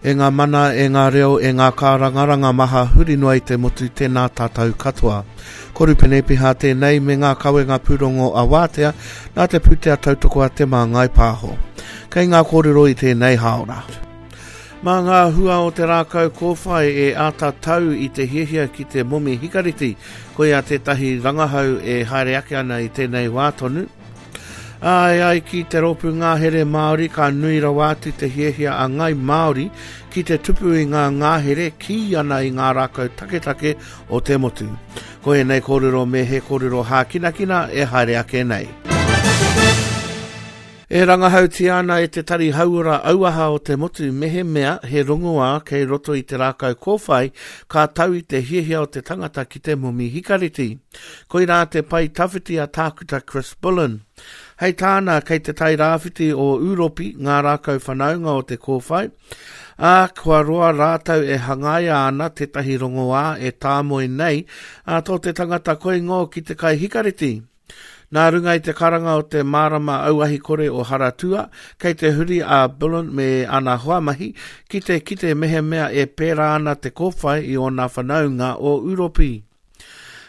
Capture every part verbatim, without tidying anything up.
E ngā mana, e ngā reo, e ngā kārangaranga maha huri noa i te motu tēnā tātou katoa. Ko Rupene Piha tēnei me ngā kawenga pūrongo a Wātea nā te pūtea tautoko a Te Māngai Pāho. Kei ngā kōrero i tēnei hāora. Mā ngā hua o te rākau kōwhai e āta tau i te hiahia ki te momi hikareti, koia tētahi rangahau e haere ake ana i tēnei wā tonu. Ā, e ai ki te rōpū ngahere Māori, ka nui rawa atu te hiahia a Ngai Māori ki te tupu i ngā ngahere kī ana i ngā rākau taketake o te motu. Ko ēnei kōrero me he kōrero hākinakina e haere ake nei. E rangahautia ana e te Tari Hauora Auaha o te motu mehemea he rongoā kei roto i te rākau kōwhai ka tau i te hiahia o te tangata ki te momi hikareti. Koirā te pae tawhiti a Tākuta Chris Bullen. Hei tāna, kei te tai rāwhiti o Ūropi ngā rākau whanaunga o te kōwhai, ā, kua roa rātou e hangaia ana tētahi rongoā e tāmoe nei ā tō te tangata koingo ki te kai hikareti. Nā runga i te karanga o te marama auahi kore o Haratua, kei te huri a Bullen me ana hoamahi ki te kite mehemea e pērā ana te kōwhai i ōna whanaunga o Ūropi.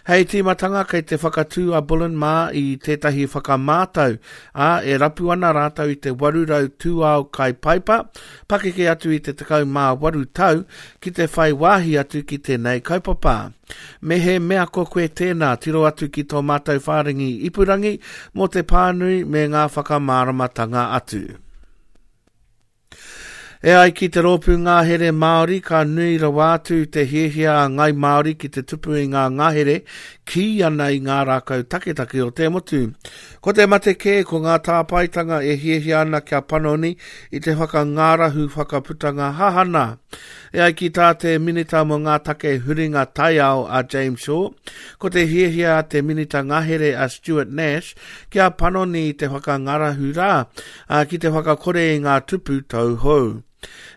Hei tīmatanga kei te whakatū a Bullen mā i tētahi whakamātau, ā, e rapu ana rātou i te waru rau tūao kai paipa, pakeke atu i te tekau mā waru tau, ki te whai wāhi atu ki tēnei kaupapa. Me he mea ko koe tēnā, tiro atu ki tō mātou whārangi ipurangi mō te pānui me ngā whakamāramatanga atu. E ai ki te rōpū ngahere Māori, ka nui rawa atu te hiahia a Ngai Māori ki te tupu i ngā ngahere kī ana i ngā rākau taketake o te motu. Ko te mate kē, ko ngā tāpaetanga e hiahia ana kia panoni i te whakangārahu whakaputanga hahana. E ai ki tā te Minita mō ngā take huringa taiao a James Shaw, ko te hiahia a te Minita ngahere a Stuart Nash kia panoni i te whakangārahu rā, ā, ki te whakakore i ngā tupu tauhou.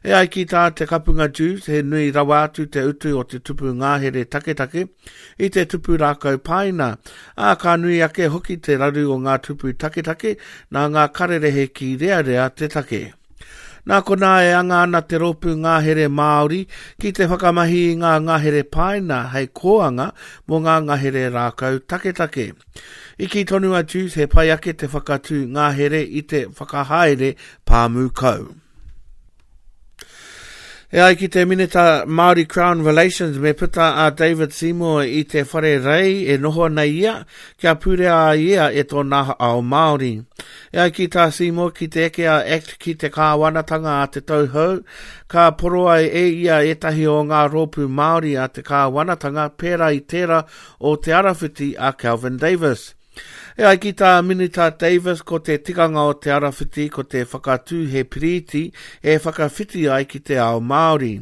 E ai ki tā te Kapunga Dewes, he nui rawa atu te utu o te tupu ngahere taketake i te tupu rākau pāina, ā, ka nui ake hoki te raru o ngā tupu taketake nā ngā karerehe ki rearea te take. Nā konā e anga ana te rōpū ngahere Māori ki te whakamahi i ngā ngahere pāina hei kōanga mō ngā ngahere rākau taketake. I kī tonu a Dewes he pai ake te whakatū ngahere i te whakahaere pāmu kau. E ai ki te Minita Māori Crown Relations me puta a David Seymour i te whare rei e noho ana ia kia pūrea a ia e tōna ao Māori. E ai ki tā Seymour ki te eke a Act ki te kāwanatanga a te tau hou, ka poroa e ia ētahi o ngā rōpū Māori a te kāwanatanga pērā i tērā o Te Arawhiti a Kelvin Davis. E ai ki tā Minita Davis ko te tikanga o Te Arawhiti ko te whakatū he piriti e whakawhiti ai ki te ao Māori.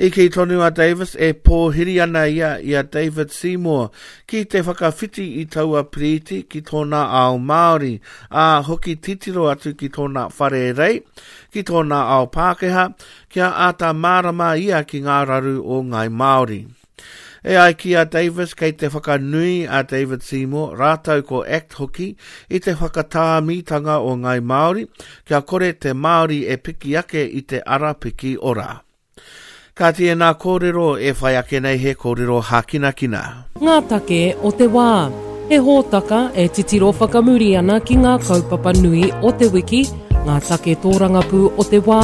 I kī tonu a Davis e pōhiri ana ia i a David Seymour ki te whakawhiti i taua piriti ki tōna ao Māori, ā, hoki titiro atu ki tōna whare rei, ki tōna ao Pākehā, kia āta mārama ia ki ngā raru o Ngai Māori. E ai ki a Davis kei te whakanui a David Seymour rātou ko Act hoki i te whakatāmitanga o Ngai Māori kia kore te Māori e piki ake i te ara piki ora. Ka tēnā kōrero e whai ake nei he kōrero hākinakina. Ngā take o te wā. He hōtaka e titiro whakamuri ana ki ngā kaupapa nui o te wiki, ngā take tōrangapū o te wā,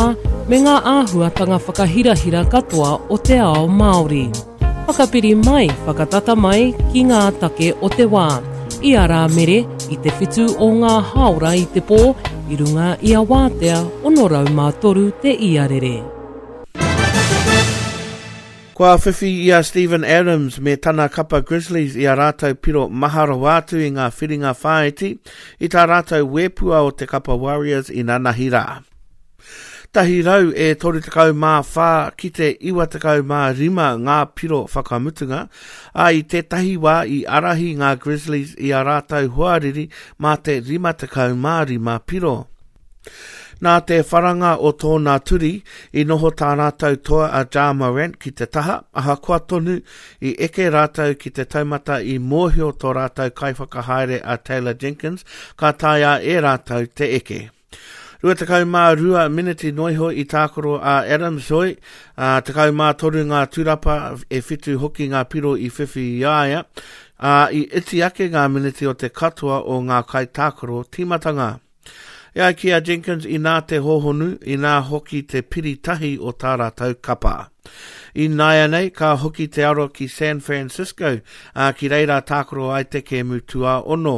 me ngā āhuatanga whakahirahira katoa o te ao Māori. Whakapiri mai, whakatata mai ki ngā take o te wā. I a Rāmere, i te whitu o ngā hāora i te pō, i runga i a Wātea, ono rau mā toru te iarere. Kua whiwhi i a Steven Adams me tana kapa Grizzlies i a rātou piro maha rawa atu i ngā whiringa whāiti i tā rātou wēpua o te kapa Warriors i nanahi rā. Tahi rau e toru tekau mā whā ki te iwa tekau mā rima ngā piro whakamutunga, ā, i tētahi wā i ārahi ngā Grizzlies i a rātou hoariri mā te rima tekau mā rima piro. Nā te wharanga o tōna turi, i noho tā rātou toa a Ja Morant ki te taha, ahakoa tonu i eke rātou ki te taumata i mōhio tō rātou kaiwhakahaere a Taylor Jenkins ka taea e rātou te eke. Rua tekau mā rua miniti noa iho i tākaro a Adams hoi, ā, tekau mā toru ngā turapa, e whitu hoki ngā piro i whiwhi i a ia, ā, i iti ake ngā miniti o te katoa o ngā kaitākaro tīmatanga. E ai ki a Jenkins inā te hōhonu, inā hoki te piri tahi o tā rātou kapa. Ināianei, ka hoki te aro ki San Francisco, ā, ki reira tākaro ai te kēmu tuaono.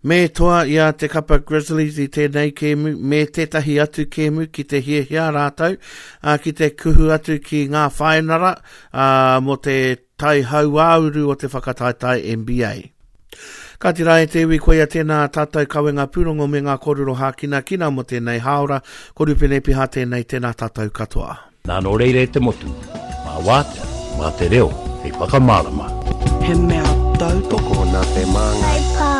Me toa i a te kapa Grizzlies i tēnei kēmu me tētahi atu kēmu ki te hiahia rātou ā, ki te kuhu atu ki ngā whainara ā, mō te tai hauāuru o te whakataetae N B A. Kāti rā e te iwi, koia tēnā tātou kawenga pūrongo me ngā kōrero hākinakina mō tēnei hāora, ko Rupene Piha tēnei, tēnā tātou katoa. Nā nō reira e te motu, mā wātea, mā te reo, hei whakamārama. He mea tautoko nā te māngai.